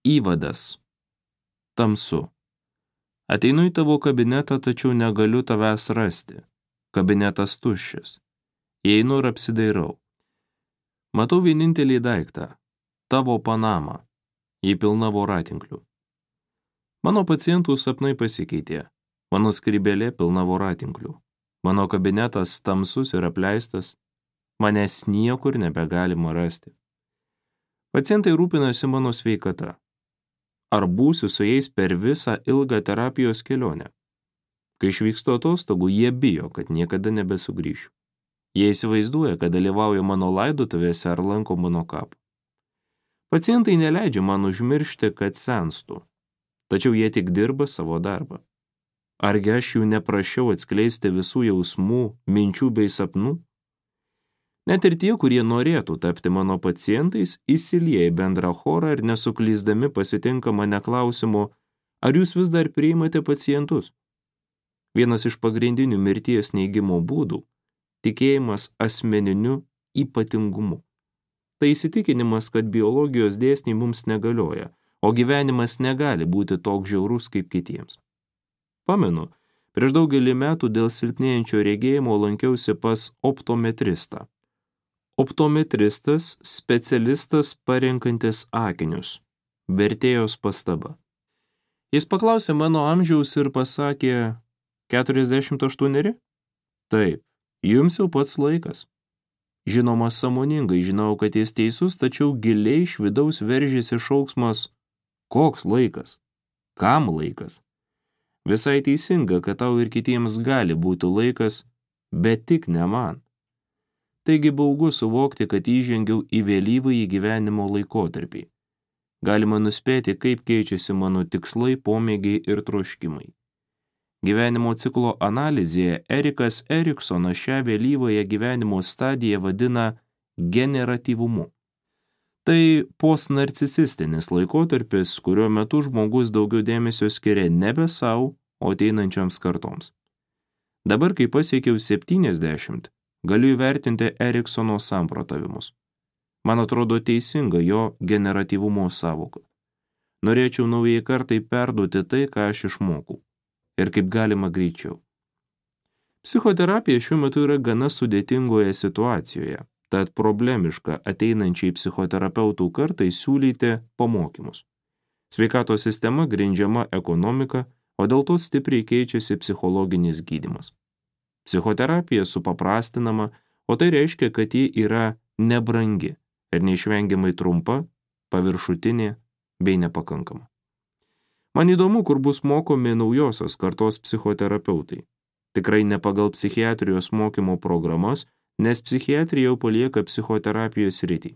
Įvadas. Tamsu. Ateinu į tavo kabinetą, tačiau negaliu tavęs rasti. Kabinetas tuščias. Įeinu ir apsidairau. Matau vienintelį daiktą – tavo panamą. Ji pilna voratinklių. Mano pacientų sapnai pasikeitė. Mano skrybėlė pilna voratinklių. Mano kabinetas tamsus ir apleistas. Manęs niekur nebegalima rasti. Pacientai rūpinasi mano sveikata. Ar būsiu su jais per visą ilgą terapijos kelionę? Kai išvykstu atostogų, jie bijo, kad niekada nebesugrįšiu. Jie įsivaizduoja, kad dalyvauja mano laidotuvėse ar lanko mano kapą. Pacientai neleidžia man užmiršti, kad senstu, tačiau jie tik dirba savo darbą. Argi aš jų neprašiau atskleisti visų jausmų, minčių bei sapnų? Net ir tie, kurie norėtų tapti mano pacientais, įsilieja į bendrą chorą ir nesuklysdami pasitinka mane klausimu, ar jūs vis dar priimate pacientus? Vienas iš pagrindinių mirties neigimo būdų – tikėjimas asmeniniu ypatingumu. Tai įsitikinimas, kad biologijos dėsniai mums negalioja, o gyvenimas negali būti toks žiaurus kaip kitiems. Pamenu, prieš daugelį metų dėl silpnėjančio regėjimo lankiausi pas optometristą. Optometristas – specialistas parenkantis akinius. Vertėjos pastaba. Jis paklausė mano amžiaus ir pasakė, 48? Taip, jums jau pats laikas. Žinoma, sąmoningai žinau, kad jis teisus, tačiau giliai iš vidaus veržėsi šauksmas, koks laikas? Kam laikas? Visai teisinga, kad tau ir kitiems gali būti laikas, bet tik ne man. Taigi baugu suvokti, kad įžengiau į vėlyvąjį gyvenimo laikotarpį. Galima nuspėti, kaip keičiasi mano tikslai, pomėgiai ir troškimai. Gyvenimo ciklo analizėje Erikas Eriksonas šią vėlyvąją gyvenimo stadiją vadina generatyvumu. Tai postnarcisistinis laikotarpis, kurio metu žmogus daugiau dėmesio skiria nebe savo, o ateinančioms kartoms. Dabar, kai pasiekiau 70, galiu įvertinti Eriksono samprotavimus. Man atrodo teisinga jo generatyvumo sąvoka. Norėčiau naujai kartai perduoti tai, ką aš išmokau. Ir kaip galima greičiau. Psichoterapija šiuo metu yra gana sudėtingoje situacijoje, tad problemiška ateinančiai psichoterapeutų kartai siūlyti pamokymus. Sveikatos sistema grindžiama ekonomika, o dėl to stipriai keičiasi psichologinis gydymas. Psichoterapija supaprastinama, o tai reiškia, kad ji yra nebrangi ir neišvengiamai trumpa, paviršutinė bei nepakankama. Man įdomu, kur bus mokomi naujosios kartos psichoterapeutai. Tikrai ne pagal psichiatrijos mokymo programas, nes psichiatrija jau palieka psichoterapijos sritį.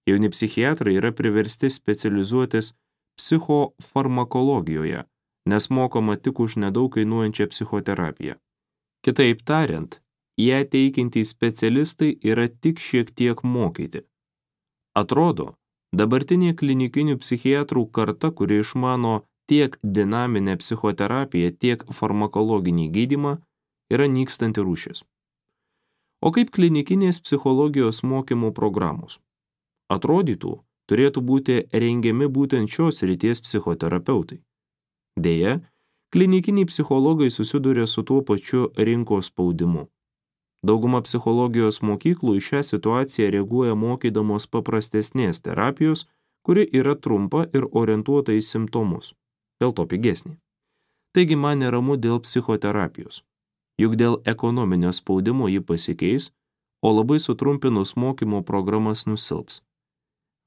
Jauni psichiatrai yra priversti specializuotis psichofarmakologijoje, nes mokoma tik už nedaug kainuojančią psichoterapiją. Kitaip tariant, ją teikiantys specialistai yra tik šiek tiek mokyti. Atrodo, dabartinė klinikinių psichiatrų karta, kuri išmano tiek dinaminę psichoterapiją, tiek farmakologinį gydymą, yra nykstanti rūšis. O kaip klinikinės psichologijos mokymo programos? Atrodytų, turėtų būti rengiami būtent šios srities psichoterapeutai. Deja, klinikiniai psichologai susiduria su tuo pačiu rinkos spaudimu. Dauguma psichologijos mokyklų į šią situaciją reaguoja mokydamos paprastesnės terapijos, kuri yra trumpa ir orientuota į simptomus, dėl to pigesnė. Taigi man neramu dėl psichoterapijos, juk dėl ekonominio spaudimo ji pasikeis, o labai sutrumpinus mokymo programas nusilps.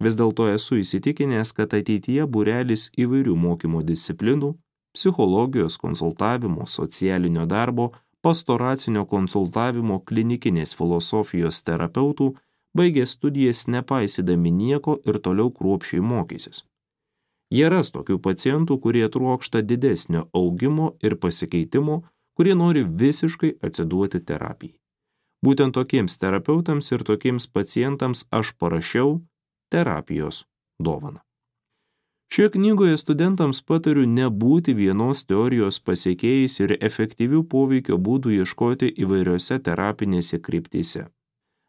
Vis dėlto esu įsitikinęs, kad ateityje būrelis įvairių mokymo disciplinų, psichologijos konsultavimo, socialinio darbo, pastoracinio konsultavimo, klinikinės filosofijos terapeutų baigė studijas nepaisydami nieko ir toliau kruopščiai mokysis. Jie ras tokių pacientų, kurie trokšta didesnio augimo ir pasikeitimo, kurie nori visiškai atsiduoti terapijai. Būtent tokiems terapeutams ir tokiems pacientams aš parašiau terapijos dovaną. Šioje knygoje studentams patariu nebūti vienos teorijos pasiekėjais ir efektyvių poveikio būdų ieškoti įvairiose terapinėse kryptyse.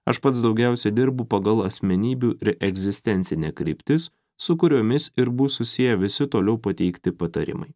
Aš pats daugiausiai dirbu pagal asmenybių ir egzistencinę kryptis su kuriomis ir bus susiję visi toliau pateikti patarimai.